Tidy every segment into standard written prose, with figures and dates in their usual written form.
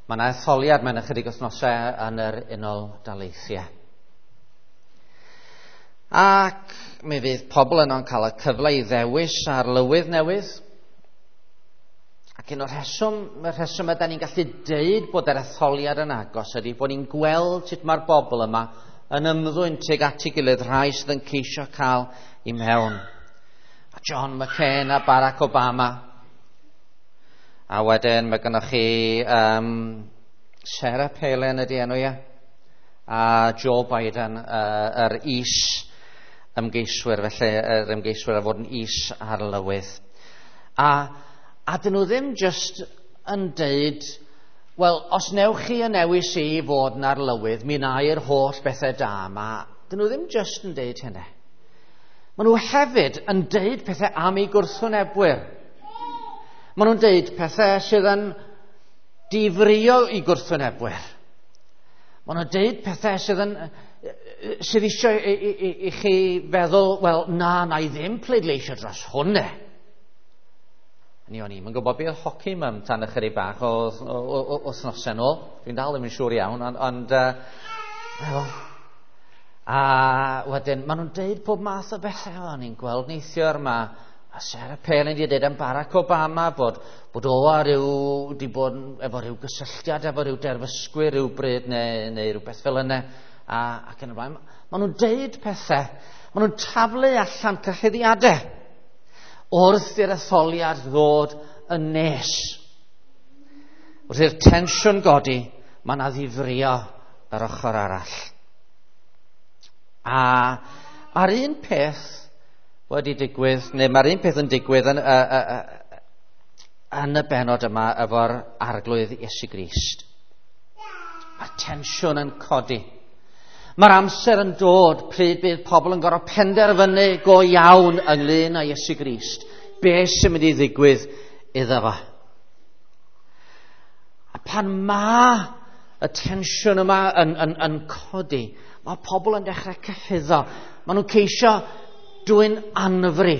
Mae yna etholiad mewn ychydig wythnosau yn yr Unol Daleithiau. Ac mi fydd pobl yno'n cael y cyfle i ddewis arlywydd newydd. Ac un o'r rheswm, y rheswm ydy ni'n gallu deud bod yr etholiad yn agos ydy bod ni'n gweld sut mae'r bobl yma yn ymddwyn tuag at ei gilydd, rhai sydd yn ceisio cael i mewn. A John McCain a Barack Obama. A wedyn mae gennych chi Sarah Palin ydy enw ia, a Joe Biden, yr is ymgeiswyr, felly yr ymgeiswyr a fod yn is arlywydd. A dyn nhw ddim just yn deud, wel, os newch chi y newis i fod yn arlywydd, mi wna i'r holl bethau da yma. Dyn nhw ddim just yn deud hynny. Maen nhw hefyd yn deud pethau am eu gwrthwynebwyr. Maen nhw'n deud pethau sydd yn difrio i gwrthwynebwyr. Maen nhw'n deud pethau sydd eisiau i chi feddwl, wel, na, na i ddim pleidleisio dros hwnna. Ni o'n i'm yn gwybod beth oedd hoci mum tan ychydig bach o wythnosau nôl. Dwi'n dal ddim yn siŵr iawn, ond a wedyn, maen nhw'n deud pob math o bethau. O'n i'n gweld neithiwr, mae Sarah Palin wedi deud am Barack Obama bod o a ryw, di bod efo ryw gysylltiad efo ryw derfysgwyr rhyw bryd neu rhywbeth fel yna. Ac yn y blaen. Maen nhw'n deud pethau, maen nhw'n taflu allan cyhuddiadau wrth i'r etholiad ddod yn nes. Wrth i'r tensiwn godi, mae yna ddifrio yr ochr arall. A mae'r un peth wedi digwydd, neu mae'r un peth yn digwydd yn y bennod yma efo'r Arglwydd Iesu Grist. Mae'r tensiwn yn codi. Mae'r amser yn dod pryd bydd pobl yn gorfod penderfynu go iawn ynglyn â Iesu Grist. Be sy'n mynd i ddigwydd iddo fo? A pan mae y tensiwn yma yn codi, mae pobl yn dechrau cyhuddo. Maen nhw'n ceisio dwyn anfri.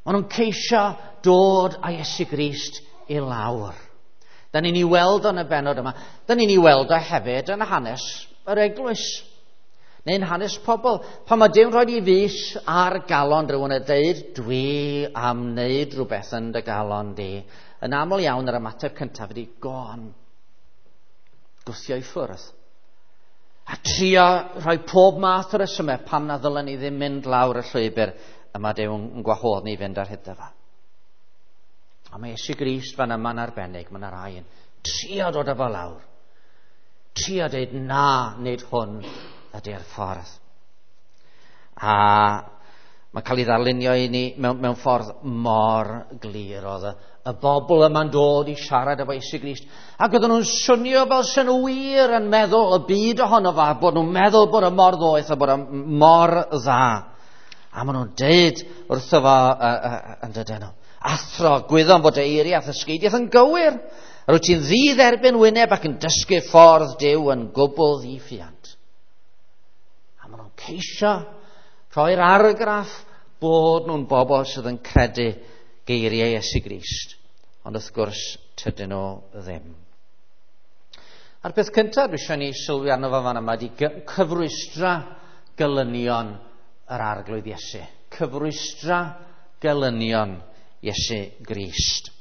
Maen nhw'n ceisio dod â Iesu Grist i lawr. Da ni'n ei weld yn y bennod yma. Da ni'n ei weld o hefyd yn hanes yr eglwys, neu'n hanes pobl. Pan mae Duw'n rhoi i fys ar galon rhywun a deud, dwi am wneud rhywbeth yn dy galon di. Yn aml iawn yr ymateb cyntaf ydy, go on, gwthio i ffwrdd. A trio rhoi pob math o resymau pam na ddylen ni ddim mynd lawr y llwybr y mae Duw yn gwahodd ni fynd ar hyd fo. A mae Iesu Grist fan yma'n arbennig, mae yna rai yn trio dod â fo lawr. Trio deud na, nid hwn ydy'r ffordd. A mae'n cael ei ddarlunio i ni mewn ffordd mor glir. Oedd y bobl yma'n dod i siarad efo Iesu Grist. Ac oedden nhw'n swnio fel sy'n nhw wir yn meddwl y byd ohono fo, bod nhw'n meddwl bod y mor ddoeth a bod y mor dda. A maen nhw'n deud wrtho fo yn dydyn nhw, athro, gwyddom bod y eiriau a ddysgeidiaeth yn gywir. Yr wyt ti'n ddidderbyn wyneb ac yn dysgu ffordd Duw yn gwbl ddiffuant. A maen nhw'n ceisio rhoi'r argraff bod nhw'n bobl sydd yn credu geiriau Iesu Grist. Ond wrth gwrs, tydyn nhw ddim. A'r peth cyntaf dwi eisiau ni sylwi arno fo fan yma ydy cyfrwystra gelynion yr Arglwydd Iesu. Cyfrwystra gelynion Iesu Grist.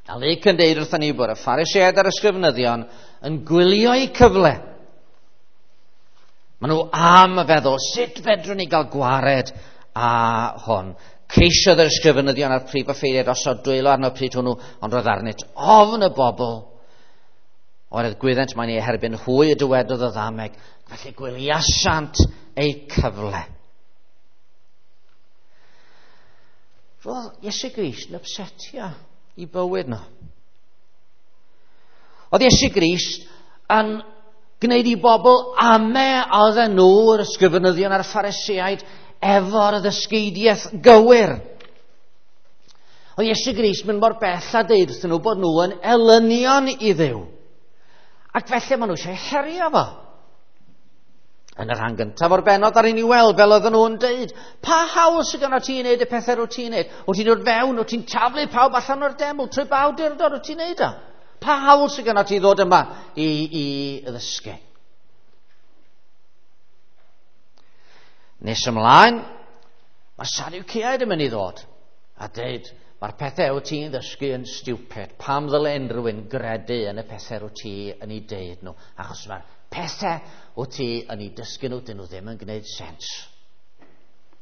A Luc yn deud wrthon ni bod y Phariseaid a'r ysgrifenyddion yn gwylio eu cyfle. Maen nhw am y feddwl, sut fedrwn ni gael gwared â hwn? Ceisiodd yr ysgrifenyddion a'r prif offeiriaid osod dwylo arno pryd hwnnw, ond roedd arnynt ofn y bobl. Oherwydd gwyddent mae'n ei herbyn hwy y dywedodd y ddameg, felly gwyliasant eu cyfle. Roedd Iesu Grist yn upsetio i bywyd nhw. Oedd Iesu Grist yn gwneud i bobl ame oedden nhw, yr ysgrifenyddion a'r Phariseaid, efo'r ddysgeidiaeth gywir. Oedd Iesu Grist mynd mor bell a deud wrthyn nhw bod nhw yn elynion i Dduw. Ac felly maen nhw eisiau herio fo. Yn y rhan gyntaf o'r bennod ar i weld fel oedden nhw'n deud, pa hawl sydd gynno ti i wneud y pethau rwyt ti'n wneud? Wyt ti'n dod fewn, wyt ti'n taflu pawb allan o'r deml, trwy ba awdurdod wyt ti'n wneud o? Pa hawl sydd gyda ti ddod yma i ddysgu? Nes ymlaen, mae'r Sadwceaid yn mynd i ddod a dweud, mae'r pethau wyt ti'n ddysgu yn stupid. Pam ddyle unrhyw un gredu yn y pethau wyt ti yn ei deud nhw? Achos mae'r pethau wyt ti yn ei dysgu nhw, dyn nhw ddim yn gwneud sens.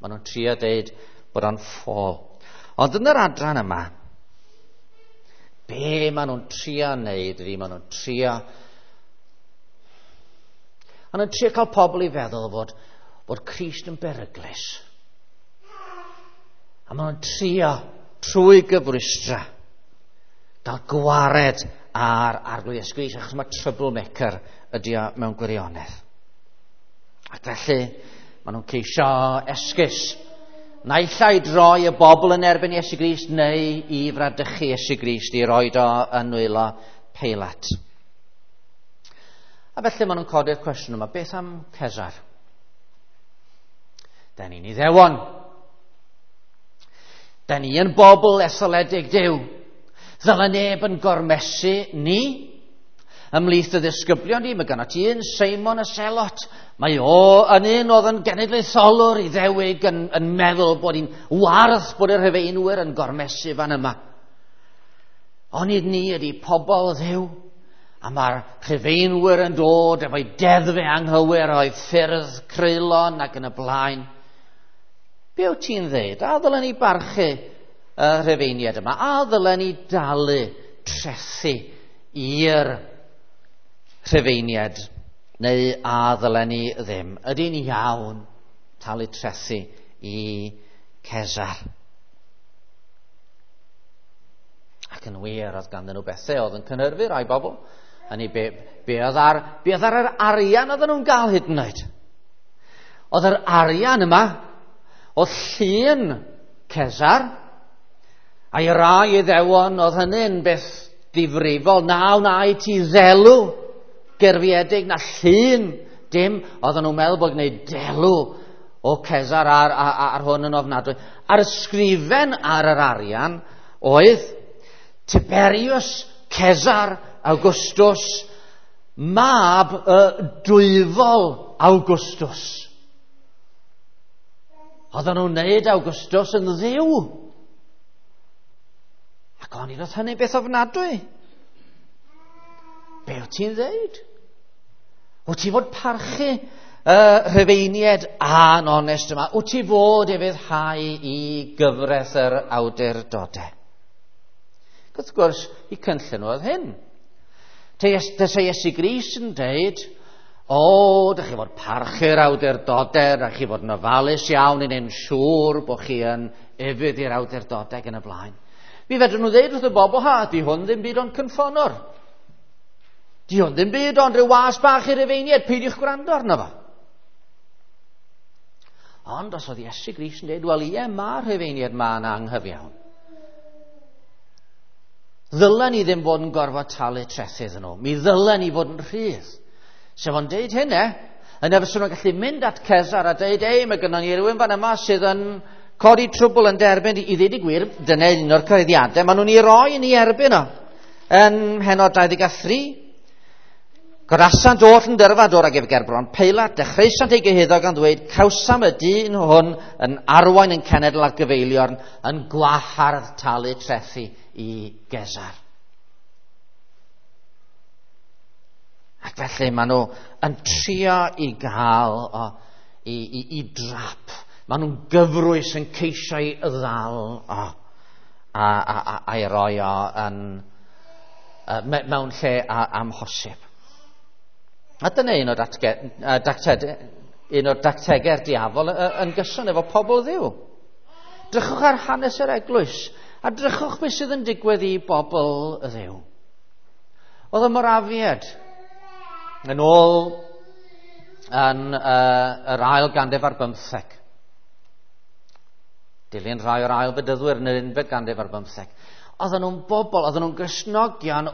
Maen nhw'n trio deud bod o'n ffôl. Ond yn yr adran yma, be maen nhw'n trio wneud ydy, maen nhw'n trio... Maen nhw'n trio cael pobl i feddwl fod Crist yn beryglus. A maen nhw'n trio trwy gyfrwystra gael gwared ar Arglwydd Iesu Grist, achos mae troublemaker ydy o mewn gwirionedd. Ac felly, maen nhw'n ceisio esgus. Naill ai droi y bobl yn erbyn Iesu Grist neu i fradychu Iesu Grist i roed o yn nwylo Peilat. A felly maen nhw'n codi'r cwestiwn yma, beth am Cesar? Da ni'n Iddewon. Da ni yn bobl etholedig Duw. Ddyle neb yn gormesu ni. Ymhlith y ddisgyblion ni, mae gynno ti un Seimon y Selot. Mae o yn un oedd yn genedlaetholwr Iddewig yn meddwl bod hi'n warth bod y Rhufeinwyr yn gormesu fan yma. Onid ni ydy pobl Dduw, a mae'r Rhufeinwyr yn dod efo'i deddfau anghywir, o'i ffyrdd creulon ac yn y blaen. Be wyt ti'n dweud? A ddylen ni barchu y Rhufeiniaid yma? A ddylen ni dalu trethu i'r Rhufeiniaid? Neu a ddylen ni ddim? Ydy'n iawn talu trethu i Cesar? Ac yn wir, oedd ganddyn nhw bethau oedd yn cynhyrfu rai bobl. Hynny, be oedd ar yr arian oedden nhw'n gael hyd yn oed? Oedd yr arian yma, oedd llun Cesar, a'i rai Iddewon, oedd hynny'n beth difrifol. Na wnai ti ddelw gerfiedig, na llun, dim. Oedden nhw'n meddwl bod gwneud delw o Cesar ar hwn yn ofnadwy. A'r ysgrifen ar yr arian oedd Tiberius Cesar Augustus, mab y dwyfol Augustus. Oedden nhw'n wneud Augustus yn ddiw. Ac o'n i roedd hynny beth ofnadwy. Be wyt ti'n ddeud? Wyt ti fod parchu y Rhufeiniaid a'n onest yma? Wyt ti fod ufuddhau i gyfraith yr awdurdodau? Wrth gwrs, i cynllun oedd hyn. Tase Iesu Grist yn deud, o, dych chi fod parchu'r awdurdodau, dych chi fod yn ofalus iawn i wneud yn siŵr bod chi yn ufudd i'r awdurdodau yn y blaen. Mi fedrwn nhw ddeud wrth y bobl, ha, di hwn ddim byd ond cynffonwr. Di hwn ddim byd ond rhyw was bach i'r Rhufeiniaid, peidiwch gwrando arno fo. Ond os oedd Iesu Grist yn dweud, wel ie, mae'r Rhufeiniaid ma'n anghyfiawn. Ddylen ni ddim fod yn gorfod talu trethu iddyn nhw. Mi ddylen ni fod yn rhydd. Sef o'n deud hynny, yna fyswn nhw'n gallu mynd at Cesar a deud, ei, mae gynnon ni rhywun fan yma sydd yn codi trwbl yn derbyn, i ddweud y gwir, dyna un o'r cyhoeddiadau, maen nhw'n ei roi yn ei erbyn o. Yn mhennod 23, Gorasant oll yn dyrfa dod ag ef gerbron Peilat, dechreusant ei gyhuddo gan ddweud, cawsam y dyn hwn yn arwain yn cenedl ar gyfeiliorn yn gwahardd talu trethu i Gesar. Ac felly maen nhw yn trio i gael o, i drap. Maen nhw'n gyfrwys yn ceisio i ddal o, a'i roi o yn, mewn lle amhosib. A dyna un o'r dactegau'r diafol yn gyson efo pobl Dduw. Drychwch ar hanes yr eglwys a drychwch beth sydd yn digwydd i bobl Dduw. Oedd y Morafiaid yn ôl yn yr ail ganrif ar bymtheg. Dilyn rhai o'r ail fedyddwyr yn yr unfed ganrif ar bymtheg. Oedden nhw'n bobl, oedden nhw'n Gristnogion,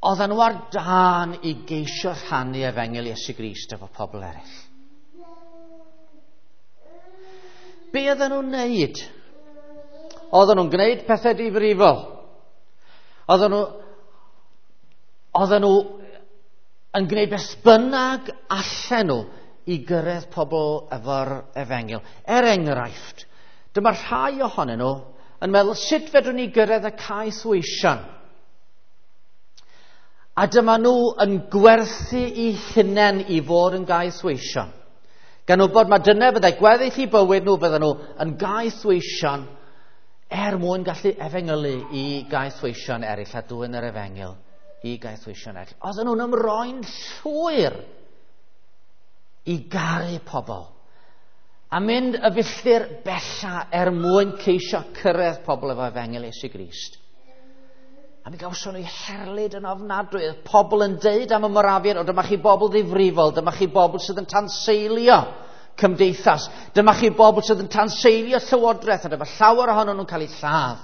oedden nhw ar dân i geisio rhannu efengyl Iesu Grist efo pobl eraill. Be oedden nhw'n wneud? Oedden nhw'n gwneud pethau difrifol. Oedden nhw yn gwneud beth bynnag allan nhw i gyrraedd pobl efo'r efengyl. Er enghraifft, dyma rhai ohonyn nhw yn meddwl sut fedrwn ni gyrraedd y caethweision. A dyma nhw yn gwerthu eu hunain i fod yn gaethweision. Gan wybod mae dyna fyddai gweddill i bywyd nhw, fydden nhw yn gaethweision er mwyn gallu efengylu i gaethweision eraill a dwyn yr efengyl i gaethweision eraill. Oedden nhw'n ymroi'n llwyr i garu pobl a mynd y filltir bella er mwyn ceisio cyrraedd pobl efo efengyl Iesu Grist. A mi gawson nhw herlid yn ofnadwy. Oedd pobl yn deud am y Morafiaid, o dyma chi bobl ddifrifol, dyma chi bobl sydd yn tanseilio cymdeithas, dyma chi bobl sydd yn tanseilio llywodraeth, a dyma llawer ohonyn nhw'n cael eu lladd.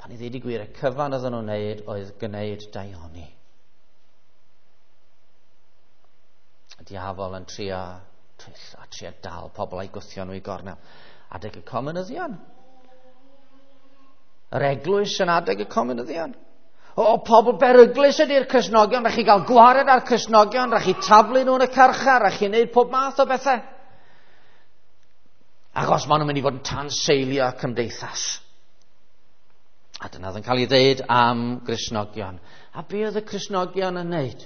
Pan i ddweud y gwir, y cyfan oedden nhw'n wneud oedd gwneud daioni. Y diafol yn trio twyll a trio dal pobl a'i gwthio nhw i gornel. Adeg y comunyddion. Yr eglwys yn adeg y comunyddion. O, pobl beryglus ydy'r Cristnogion, rhaid chi gael gwared ar Cristnogion, rhaid chi taflu nhw yn y carchar, rhaid chi wneud pob math o bethau. Achos maen nhw'n mynd i fod yn tanseilio cymdeithas. A dyna oedd yn cael ei ddeud am Gristnogion. A be oedd y Cristnogion yn wneud?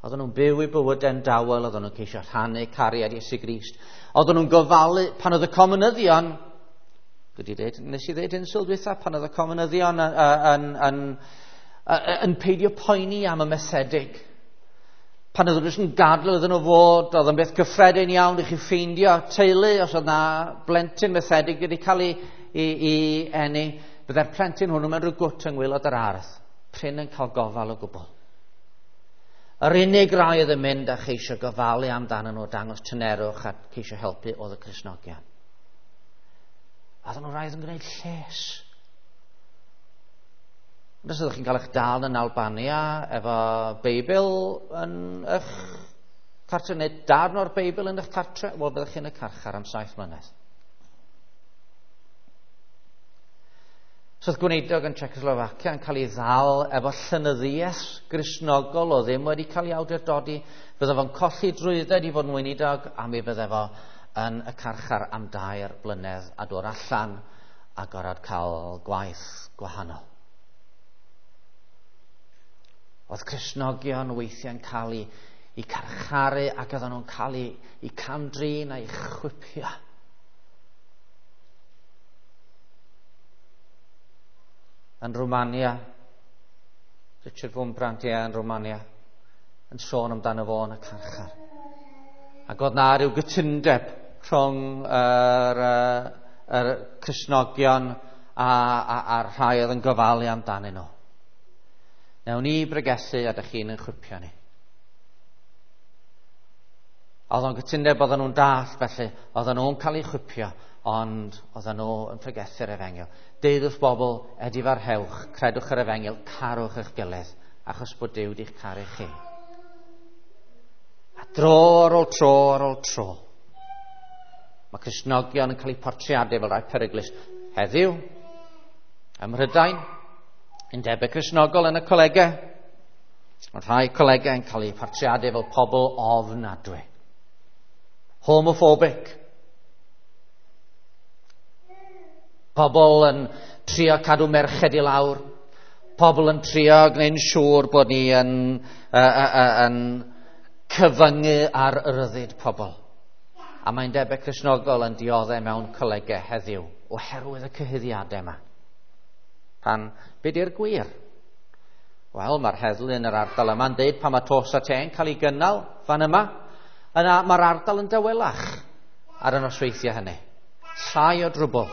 Oedden nhw'n byw eu bywydau'n dawel, oedden nhw'n ceisio rhannu cariad Iesu Grist. Oedden nhw'n gofalu, pan oedd y comunyddion, nes i ddeud hyn sul dwytha, pan oedd y comunyddion yn peidio poeni am y methedig. Pan oedd nhw'n yn gadw iddyn nhw fod, oedd yn beth cyffredin iawn i chi ffeindio teulu, os oedd na blentyn methedig wedi cael ei eni, byddai'r plentyn hwnnw mewn rhyw gwt yng ngwaelod yr ardd, prin yn cael gofal o gwbl. Yr unig rai oedd yn mynd a cheisio gofalu amdanyn nhw, dangos tynerwch a ceisio helpu oedd y Cristnogion. A oedden nhw raidd yn gwneud lles. Ond os ydych chi'n cael eich dal yn Albania efo Beibl yn eich cartre, neu darn o'r Beibl yn eich cartre, wel, byddwch chi'n y carchar am 7 mlynedd. So oedd gweinidog yn Czechoslovacia yn cael ei ddal efo llenyddiaeth Gristnogol o ddim wedi cael ei awdurdodi, fydde fo'n colli drwydded i fod yn weinidog, a mi fydde fo yn y carchar am 2 blynedd a dod allan a gorfod cael gwaith gwahanol. Oedd Cristnogion weithiau'n cael eu carcharu ac oedden nhw'n cael eu cam-drin a'u chwipio. Yn Romania, Richard Wurmbrand, ie, yn Romania, yn sôn amdano fo yn y carchar. Ac oedd na ryw gytundeb rhwng yr Cristnogion a'r rhai oedd yn gofalu amdanyn nhw. Newn ni bregethu a dych chi'n yn chwipio ni. Oedd o'n gytundeb, oedden nhw'n dall, felly oedden nhw'n cael eu chwipio, ond oedden nhw yn pregethu'r efengyl. Deud wrth bobl, edifarhewch, credwch yr efengyl, carwch eich gilydd, achos bod Duw wedi'ch caru chi. A dro ar ôl tro ar ôl tro, mae Cristnogion yn cael eu portreadu fel rhai peryglus. Heddiw, ym Mhrydain, undebau Cristnogol yn y colegau, mae rhai colegau yn cael eu portreadu fel pobl ofnadwy. Homophobic. Pobl yn trio cadw merched i lawr. Pobl yn trio gwneud yn siŵr bod ni yn cyfyngu ar ryddid pobl. A mae'n debyg Cristnogol yn dioddef mewn colegau heddiw oherwydd y cyhuddiadau yma. Pan, be di'r gwir? Wel, mae'r heddlu yn yr ardal yma'n deud pan mae tos a te'n cael ei gynnal fan yma, yna mae'r ardal yn dawelach ar y nosweithiau hynny. Llai o drwbl.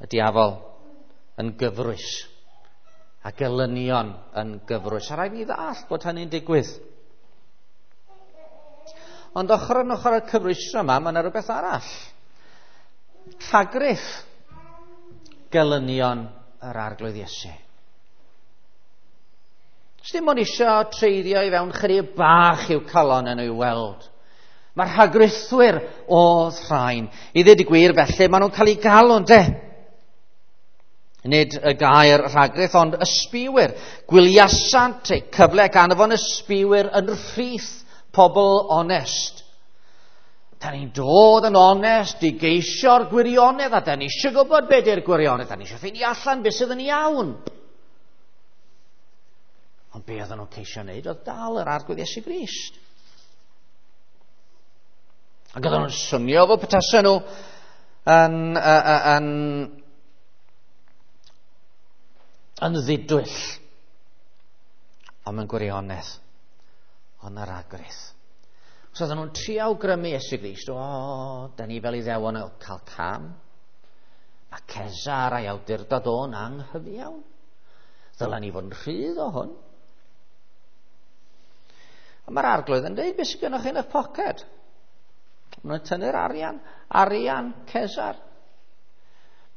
Y diafol yn gyfrwys a gelynion yn gyfrwys. A rhaid ni ddall bod hynny'n digwydd. Ond ochr yn ochr â'r cyfrwystra yma, mae yna rhywbeth arall. Rhagriff gelynion yr Arglwydd Iesu. Dim ond isio treiddio i fewn chydig bach i'w calon yn ei weld. Mae'r rhagrithwyr oedd rhain. I ddweud y gwir felly, maen nhw'n cael eu galw, ynde? Nid y gair rhagrith, ond ysbiwyr. Gwyliasant eu cyfle ac anfon ysbiwyr yn rhith pobl onest. Da ni'n dod yn onest i geisio'r gwirionedd, a da ni eisiau gwybod beth yw'r gwirionedd, da ni eisiau ffeindio allan beth sydd yn iawn. Ond be oedden nhw'n ceisio wneud oedd dal yr Arglwydd Iesu Grist. Ac oedden nhw'n swnio fel petasen nhw yn ddidwyll. Ond mewn gwirionedd, ond yr agrith. So oedden nhw'n trio awgrymu Iesu Grist, o, da ni fel Iddewon yn cael cam. Mae Cesar a'i awdurdod o'n anghyfiawn. Ddylen ni fod yn rhydd o hwn. A mae'r Arglwydd yn dweud, beth sydd gennych chi yn eich poced? Maen nhw'n tynnu'r arian, arian Cesar.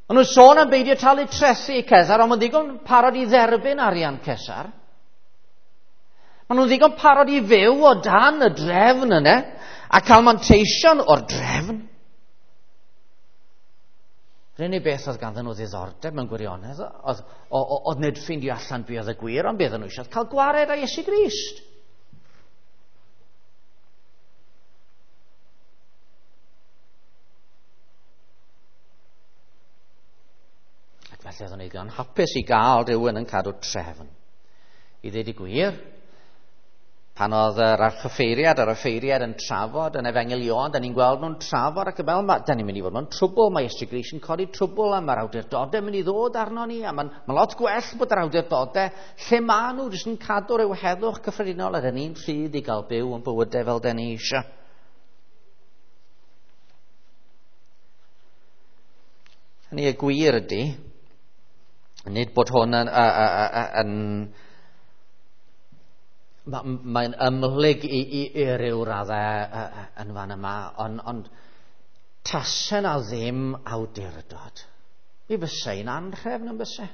Maen nhw'n sôn am beidio talu trethi i Cesar, ond maen ddigon parod i dderbyn arian Cesar. Maen nhw'n ddigon parod i fyw o dan y drefn yna a cael manteision o'r drefn. Yr unig beth oedd ganddyn nhw ddiddordeb mewn gwirionedd oedd nid ffeindio allan be oedd y gwir, ond be oedden nhw eisiau cael gwared â Iesu Grist. Ac felly oedden nhw'n ddigon hapus i gael rhywun yn cadw trefn. I ddweud y gwir, pan oedd yr archoffeiriad a'r offeiriad yn trafod yn Efengyl Ioan, da ni'n gweld nhw'n trafod ac yn meddwl, da ni'n mynd i fod mewn trwbl, mae Iesu Grist yn codi trwbl a mae'r awdurdodau mynd i ddod arno ni, a mae'n lot gwell bod yr awdurdodau lle maen nhw jyst yn cadw rhyw heddwch cyffredinol a da ni'n rhydd i gael byw yn bywydau fel da ni eisiau. Hynny y gwir ydy, nid bod hwn yn mae'n ymhlyg i ryw raddau yn fan yma, ond tase na ddim awdurdod, mi fysa hi'n anhrefn yn byse.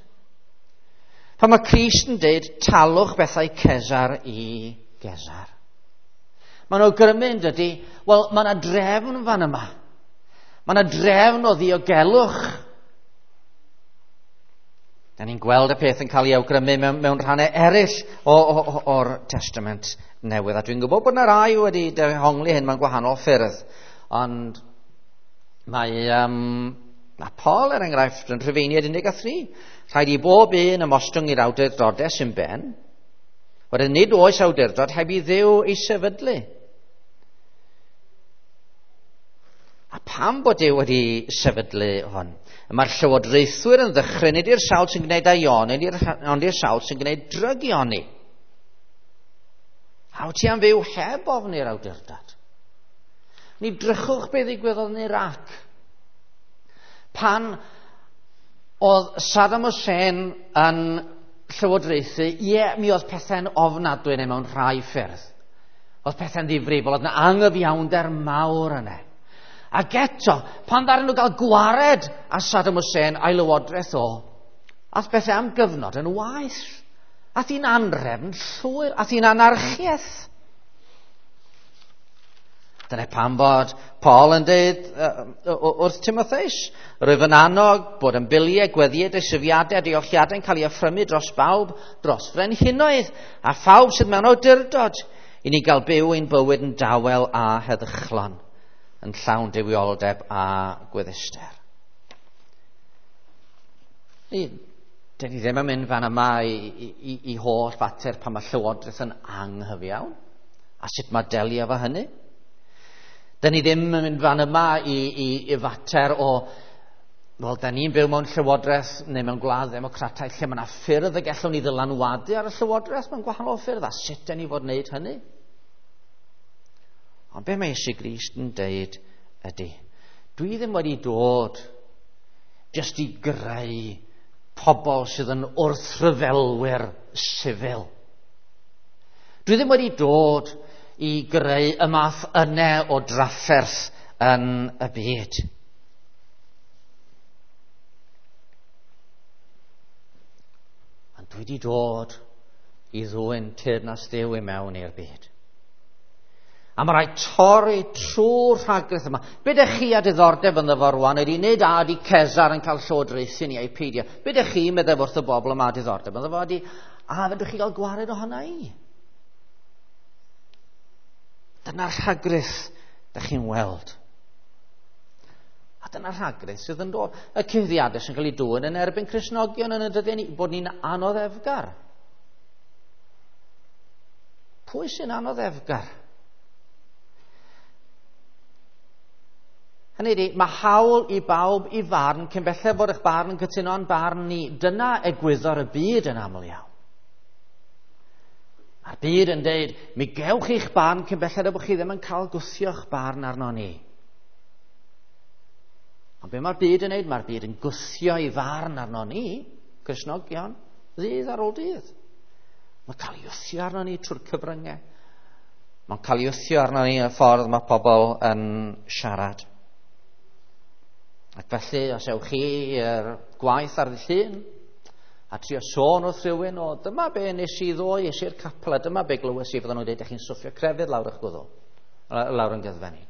Pan mae Crist yn dweud, talwch bethau Cesar i Gesar. Mae'n awgrymu yn dydy, wel, mae yna drefn fan yma. Mae yna drefn o ddiogelwch. Da ni'n gweld y peth yn cael ei awgrymu mewn rhannau eraill o'r Testament Newydd. A dwi'n gwybod bod yna rai wedi dehongli hyn mewn gwahanol ffyrdd. Ond mae Paul, er enghraifft, yn Rhufeiniaid 13. Rhaid i bob un ymostwng i'r awdurdodau sy'n ben. Wedyn nid oes awdurdod heb i Dduw ei sefydlu. A pam bod Duw wedi sefydlu hwn? Mae'r llywodraethwyr yn ddychryn nid i'r sawl sy'n gwneud aioni, ond i'r sawl sy'n gwneud drygioni. A wyt ti am fyw heb ofni'r awdurdod? Ni drychwch beth ddigwyddodd yn Iraq. Pan oedd Saddam Hussein yn llywodraethu, ie, mi oedd pethau'n ofnadwy neu mewn rhai ffyrdd. Oedd pethau'n ddifrifol, oedd yna anghyfiawnder mawr yna. Ac eto, pan ddaru nhw gael gwared a Saddam Hussein a'i lywodraeth o, ath bethau am gyfnod yn waeth. Ath hi'n anrefn llwyr, ath hi'n anarchiaeth. Dyna pam bod Paul yn dweud wrth Timotheus, rwyf yn annog bod yn biliau, gweddïau, deisyfiadau a diolchiadau yn cael ei offrymu dros bawb, dros frenhinoedd, a phawb sydd mewn awdurdod, i ni gael byw ein bywyd yn dawel a heddychlon, yn llawn duwioldeb a gweddister. Dyn ni ddim yn mynd fan yma i holl fater pan mae llywodraeth yn anghyfiawn, a sut mae delio efo hynny. Dyn ni ddim yn mynd fan yma i fater o, wel, dyn ni'n byw mewn llywodraeth neu mewn gwlad ddemocrataidd lle mae yna ffyrdd y gallwn ni ddylanwadu ar y llywodraeth mewn gwahanol ffyrdd, a sut dyn ni fod wneud hynny. Ond be mae Iesu Grist yn deud ydy, dwi ddim wedi dod jyst i greu pobl sydd yn wrthryfelwyr sifil. Dwi ddim wedi dod i greu y math yna o drafferth yn y byd. Ond dwi wedi dod i ddwyn teyrnas Dduw i mewn i'r byd. A mae rhaid torri trwy'r rhagrith yma. Be ydych chi a diddordeb ynddo fo rwan ydy nid a ydy Cesar yn cael llywodraethu ni a'i peidio. Be ydych chi'n meddwl wrth y bobl yma a diddordeb ynddo fo ydy a fedrwch chi gael gwared ohono i? Dyna'r rhagrith ydych chi'n weld. A dyna'r rhagrith sydd yn dod. Y cyhuddiadau sy'n cael ei dwyn yn erbyn Cristnogion yn y dyddiau ni, bod ni'n anoddefgar. Pwy sy'n anoddefgar? Hynny ydy, mae hawl i bawb i farn cyn belled fod eich barn yn cytuno â'n barn ni. Dyna egwyddor y byd yn aml iawn. Mae'r byd yn deud, mi gewch chi'ch barn cyn belled bod chi ddim yn cael gwthio'ch barn arno ni. Ond be mae'r byd yn neud? Mae'r byd yn gwthio ei farn arno ni, Cristnogion, ddydd ar ôl dydd. Mae'n cael ei wthio arno ni trwy'r cyfryngau. Mae'n cael ei wthio arno ni yn y ffordd mae pobl yn siarad. Ac felly, os ewch chi i'r gwaith ar ddydd Llun, a trio sôn wrth rhywun o dyma be nes i ddoe, es i'r capel, a dyma be glywes i, fydden nhw'n dweud, ydych chi'n stwffio crefydd lawr eich gwddw, lawr yn gyddfe ni.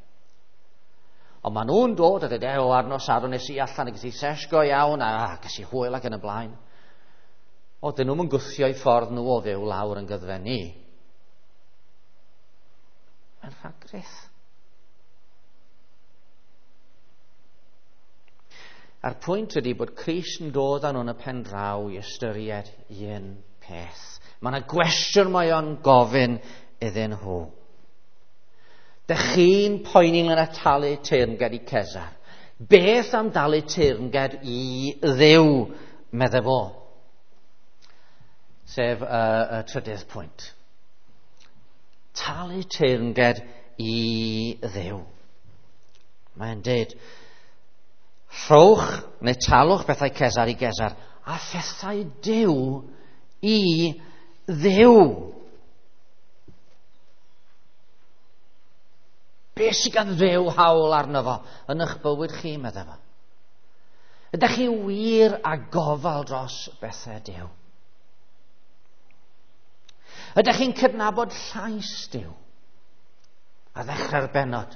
Ond maen nhw'n dod a dweud, o, ar nos Sadwrn nes i allan, a ges i sesh go iawn, a ges i hwyl ac yn y blaen. O, dyn nhw'n gwthio i ffordd nhw o fyw lawr yn gyddfe ni. Mae'n rhagrith. A'r pwynt ydy bod Crist yn dod â nhw yn y pen draw i ystyried un peth. Mae yna gwestiwn mae o'n gofyn iddyn nhw. Dych chi'n poeni ynglŷn â talu teyrnged i Cesar. Beth am dalu teyrnged i Dduw, medde fo? Sef y trydydd pwynt. Talu teyrnged i Dduw. Mae'n dweud, rhowch neu talwch bethau Cesar i Gesar a phethau Duw i Dduw. Be sydd gan Dduw hawl arno fo yn eich bywyd chi, meddai fo? Ydych chi wir a gofal dros bethau Duw? Ydych chi'n cydnabod llais Duw? A ddechrau'r bennod,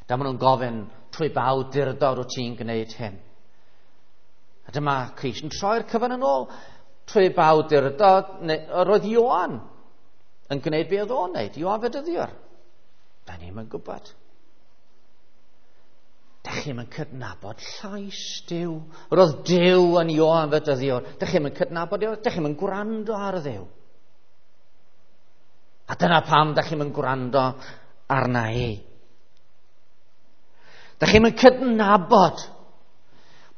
da maen nhw'n gofyn trwy ba awdurdod wyt ti'n gwneud hyn. A dyma Crist yn troi'r cyfan yn ôl. Trwy ba awdurdod, neu, roedd Ioan yn gwneud be oedd o'n wneud, Ioan Fedyddiwr. Da ni'm yn gwybod. Da chi'm yn cydnabod llais Duw. Roedd Duw yn Ioan Fedyddiwr. Da chi'm yn cydnabod Duw. Da chi'm yn gwrando ar Dduw. A dyna pam da chi'm yn gwrando arna i. Da chi'm yn cydnabod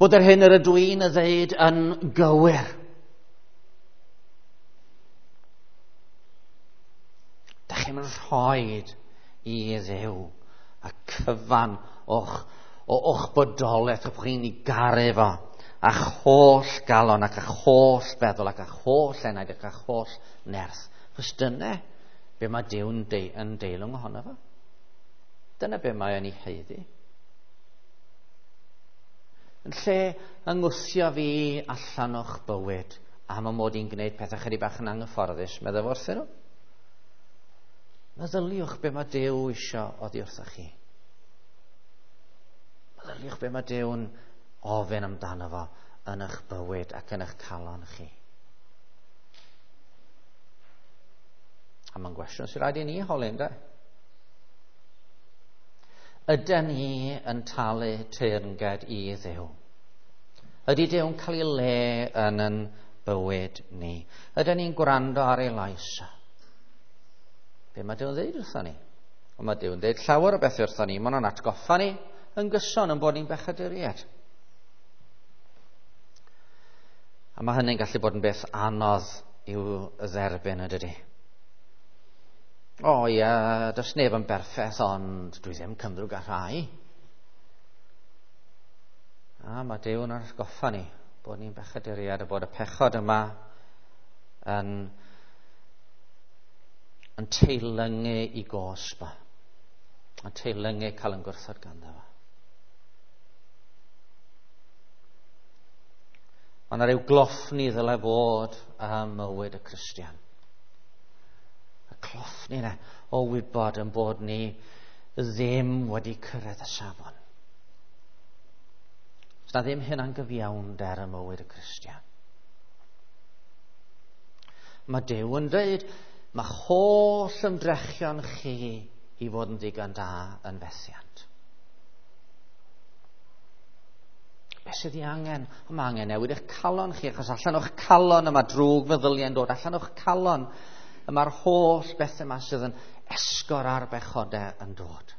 bod yr hyn yr ydw i'n ei ddeud yn gywir. Da chi'm yn rhoid i Dduw y cyfan o'ch bodolaeth, o'ch chi'n ei garu fo, a'ch holl galon ac a'ch holl feddwl ac a'ch holl enaid ac a'ch holl nerth. Chos dyna be mae Duw'n yn deilwng ohono fo. Dyna be mae o'n ei haeddu. Yn lle yngwthio fi allan o'ch bywyd am y mod i'n gwneud pethau chydig bach yn anghyfforddus, meddwl wrthyn nhw. Meddyliwch be mae Duw isio oddi wrthoch chi. Meddyliwch be mae Duw'n ofyn amdano fo yn eich bywyd ac yn eich calon chi. A mae'n gwestiwn sy'n rhaid i ni holi, ynde? Ydyn ni yn talu teyrnged i Dduw? Ydy Duw'n cael ei le yn ein bywyd ni? Ydyn ni'n gwrando ar ei lais? Be mae Duw'n dweud wrthon ni? Ond mae Duw'n dweud llawer o bethau wrthon ni. Mae nhw'n atgoffa ni yn gyson yn bod ni'n bechaduriaid. A mae hynny'n gallu bod yn beth anodd i'w dderbyn, yn dydy? O ie, does neb yn berffaith, ond dwi ddim cymrwg â rhai. A mae Duw'n atgoffa ni bod ni'n bechaduriaid a bod y pechod yma yn teilyngu i gosb, yn teilyngu cael yn gwrthod ganddo fo. Mae yna ryw gloffni ddylai fod ym mywyd y Cristion. Y cloffni yna o wybod yn bod ni ddim wedi cyrraedd y safon. Os na ddim hynna'n gyfiawnder ym mywyd y Cristion. Mae Duw yn dweud, mae holl ymdrechion chi i fod yn ddigon da yn fethiant. Be sydd ei angen? Mae angen newid eich calon chi, achos allan o'ch calon y mae drwg feddyliau'n dod, allan o'ch calon y mae'r holl bethau yma sydd yn esgor ar bechodau yn dod.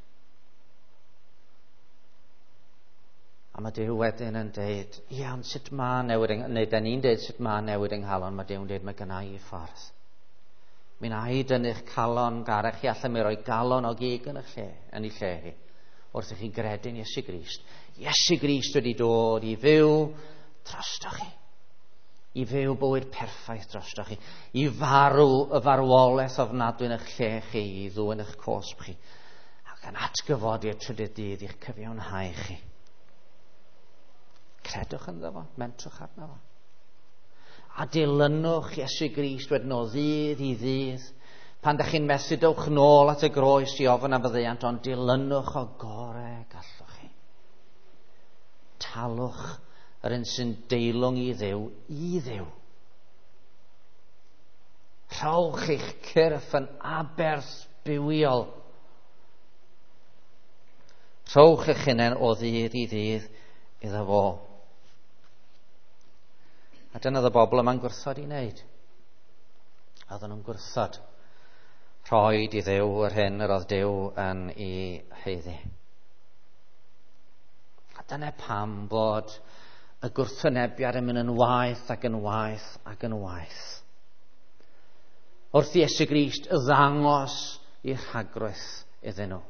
A mae Duw wedyn yn deud, ia, ond sut mae newid, neu da ni'n deud sut mae newid yng nghalon, mae Duw'n deud, mae gynna i ffordd. Mi na i dynnu'ch calon garech chi allan, mi roi galon o gig yn eich lle, yn ei lle chi, wrth i chi gredu'n Iesu Grist. Iesu Grist wedi dod i fyw drostoch chi. I fyw bywyd perffaith drostoch chi. I farw y farwolaeth ofnadwy yn eich lle chi, i ddwyn eich cosb chi. Ac yn atgyfodi y trydydd dydd i'ch cyfiawnhau chi. Credwch ynddo fo, mentrwch arno fo. A dilynwch Iesu Grist wedyn o ddydd i ddydd. Pan ydych chi'n methu, dewch nôl at y groes i ofyn am faddeuant, ond dilynwch o gorau gallwch chi. Talwch yr un sy'n deilwng i Dduw, i Dduw. Rhowch eich cyrff yn aberth bywiol. Rhowch eich hunain o ddydd i ddydd iddo fo. A dyna oedd y bobl yma'n gwrthod i wneud. Oedden nhw'n gwrthod rhoi i Dduw yr hyn yr oedd Duw yn ei haeddu. A dyna pam bod y gwrthwynebiad yn mynd yn waeth ac yn waeth ac yn waeth. Wrth i Iesu Grist ddangos i rhagrwyth iddyn nhw.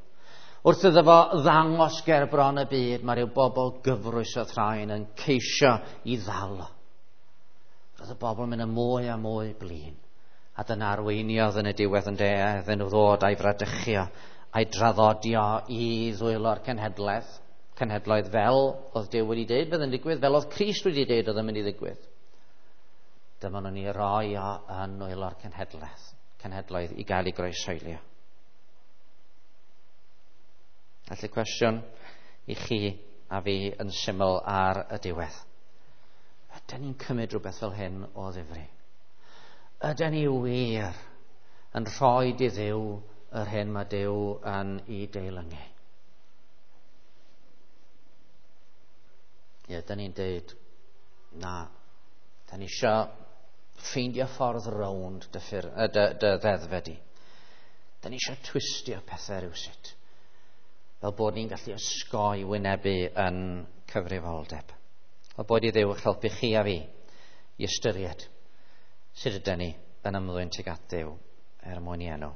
Wrth iddo fo ddangos ger bron y byd, mae rhyw bobl gyfrwys o thraen yn ceisio i ddal o. Roedd y bobl yn mynd yn mwy a mwy blin. A dyna arweiniodd yn y diwedd yn de, iddyn nhw ddod a'i fradychio, a'i draddodio i ddwylo'r cenhedlaeth, cenhedloedd fel oedd Duw wedi dweud fydd yn digwydd, fel oedd Crist wedi dweud oedd yn mynd i ddigwydd. Dyma nhw'n ei roi o yn nwylo'r cenhedlaeth, cenhedloedd i gael ei groeshoelio. Felly cwestiwn i chi a fi yn syml ar y diwedd. Ydyn ni'n cymryd rhywbeth fel hyn o ddifri? Ydyn ni wir yn rhoi i Dduw yr hyn mae Duw yn ei deilyngu? Ie, dyn ni'n deud, na, dyn ni isio ffeindio ffordd rownd dy, ffyr, dy, dy ddeddfe di. Dyn ni isio twistio pethau rhywsut, fel bod ni'n gallu osgoi wynebu yn cyfrifoldeb. O bod i Dduw eich helpu chi a fi i ystyried sut ydyn ni yn ymddwyn tuag at Dduw er mwyn i enw.